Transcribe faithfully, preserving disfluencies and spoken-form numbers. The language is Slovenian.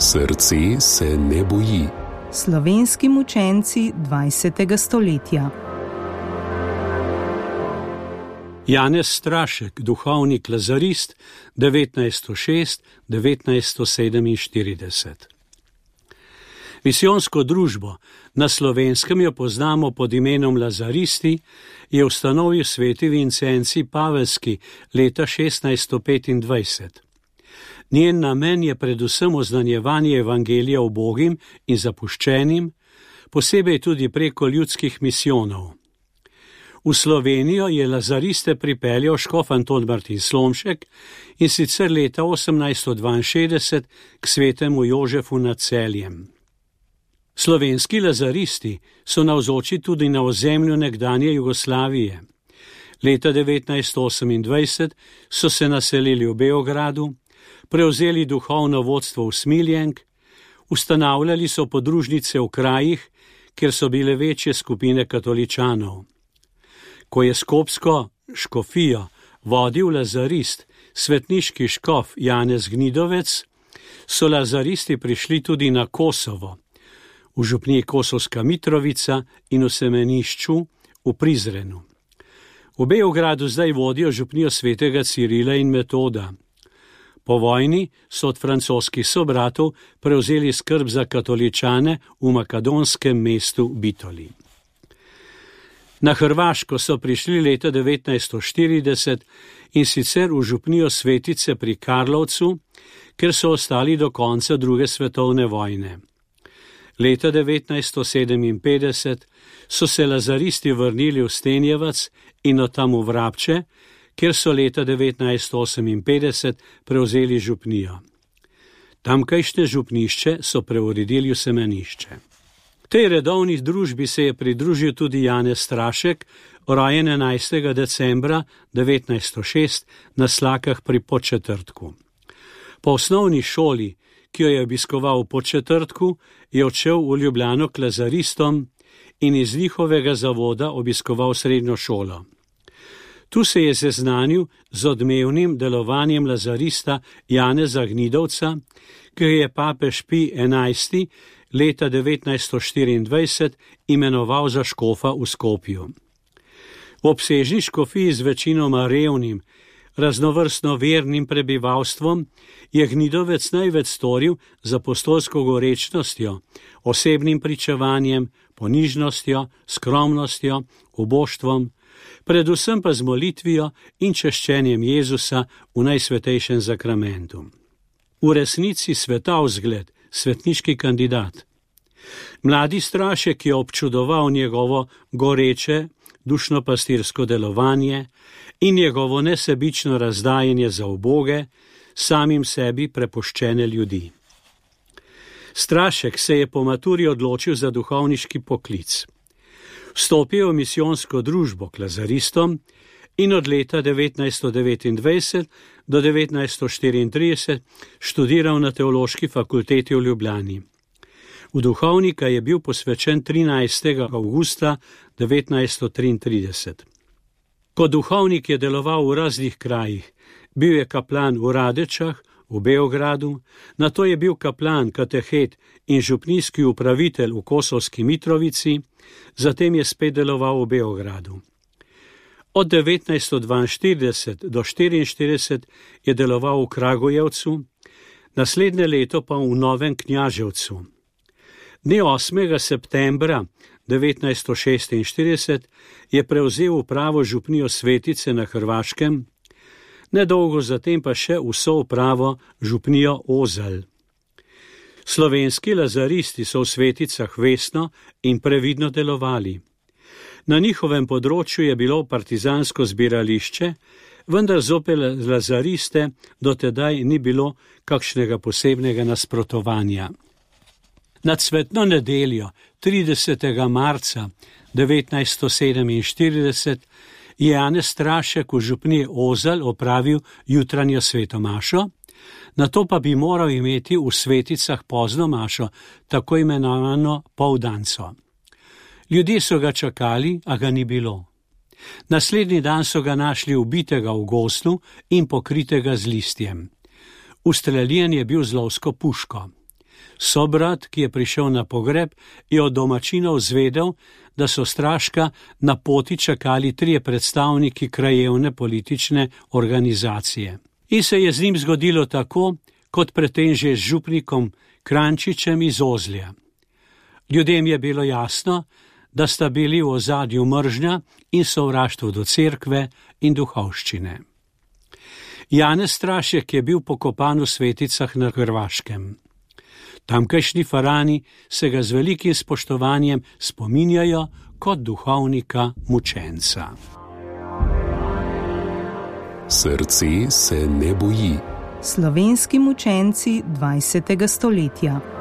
Srce se ne boji. Slovenski mučenci dvajsetega stoletja. Janez Strašek, duhovnik lazarist, devetnajststo šest do devetnajststo sedeminštirideset. Misijonsko družbo, na Slovenskem jo poznamo pod imenom Lazaristi, je ustanovil sveti Vincenci Pavelski leta šestnajststo petindvajset. Njen namen je predvsem oznanjevanje evangelija ubogim in zapuščenim, posebej tudi preko ljudskih misijonov. V Slovenijo je lazariste pripeljal škof Anton Martin Slomšek in sicer leta osemnajststo dvainšestdeset k svetemu Jožefu nad Celjem. Slovenski lazaristi so navzoči tudi na ozemlju nekdanje Jugoslavije. Leta devetnajststo osemindvajset so se naselili v Beogradu, prevzeli duhovno vodstvo v Smiljenk, ustanavljali so podružnice v krajih, kjer so bile večje skupine katoličanov. Ko je skopsko škofijo vodil lazarist, svetniški škof Janez Gnidovec, so lazaristi prišli tudi na Kosovo, v župniji Kosovska Mitrovica in v semenišču v Prizrenu. V Beogradu zdaj vodijo župnijo svetega Cirila in Metoda. Po vojni so od francoskih sobratov prevzeli skrb za katoličane v makedonskem mestu Bitoli. Na Hrvaško so prišli leta devetnajststo štirideset in sicer v župnijo Svetice pri Karlovcu, ker so ostali do konca druge svetovne vojne. Leta devetnajststo sedeminpetdeset so se lazaristi vrnili v Stenjevac in od tam v Vrabče, kjer so leta devetnajststo oseminpetdeset prevzeli župnijo. Tamkajšnje župnišče so preuredili v semenišče. Tej redovni družbi se je pridružil tudi Janez Strašek, rojen enajstega decembra devetnajststo šest na Slakah pri Podčetrtku. Po osnovni šoli, ki jo je obiskoval v Podčetrtku, je odšel v Ljubljano k lazaristom in iz njihovega zavoda obiskoval srednjo šolo. Tu se je seznanil z odmevnim delovanjem lazarista Janeza Gnidovca, ki je papež Pij enajsti leta devetnajststo štiriindvajset imenoval za škofa v Skopju. V obsežni škofiji z večinoma revnim, raznovrstno vernim prebivalstvom je Gnidovec največ storil z apostolsko gorečnostjo, osebnim pričevanjem, ponižnostjo, skromnostjo, uboštvom, predvsem pa z molitvijo in češčenjem Jezusa v najsvetejšem zakramentu. V resnici svetav zgled, svetniški kandidat. Mladi Strašek je občudoval njegovo goreče, dušno-pastirsko delovanje in njegovo nesebično razdajanje za uboge, samim sebi prepuščene ljudi. Strašek se je po maturi odločil za duhovniški poklic. Vstopil v misijonsko družbo k lazaristom in od leta devetnajststo devetindvajset do devetnajststo štiriintrideset študiral na Teološki fakulteti v Ljubljani. V duhovnika je bil posvečen trinajstega avgusta devetnajststo triintrideset. Kot duhovnik je deloval v raznih krajih. Bil je kaplan v Radečah, v Beogradu, nato je bil kaplan, katehet in župnijski upravitelj v Kosovski Mitrovici, zatem je spet deloval v Beogradu. Od devetnajststo dvainštirideset do štiriinštirideset je deloval v Kragujevcu, naslednje leto pa v Novem Knjaževcu. Dne osmega septembra devetnajststo šestinštirideset je prevzel upravo župnijo Svetice na Hrvaškem, nedolgo zatem pa še vso upravo župnijo Ozalj. Slovenski lazaristi so v Sveticah vestno in previdno delovali. Na njihovem področju je bilo partizansko zbirališče, vendar zopet lazariste dotedaj ni bilo kakšnega posebnega nasprotovanja. Na cvetno nedeljo tridesetega marca devetnajststo sedeminštirideset je Janez Strašek v župniji Ozalj opravil jutranjo sveto mašo, nato pa bi moral imeti v Sveticah pozno mašo, tako imenovano poldanco. Ljudje so ga čakali, a ga ni bilo. Naslednji dan so ga našli ubitega v gozdu in pokritega z listjem. Ustreljen je bil z lovsko puško. Sobrat, ki je prišel na pogreb, je od domačinov zvedel, da so stražka na poti čakali trije predstavniki krajevne politične organizacije. In se je z njim zgodilo tako, kot predtem že z župnikom Krančičem iz Ozlja. Ljudem je bilo jasno, da sta bili v ozadju mržnja in sovraštvo do cerkve in duhovščine. Janez Strašek je bil pokopan v Sveticah na Hrvaškem. Tamkajšnji farani se ga z velikim spoštovanjem spominjajo kot duhovnika mučenca. Srce se ne boji. Slovenski mučenci dvajsetega stoletja.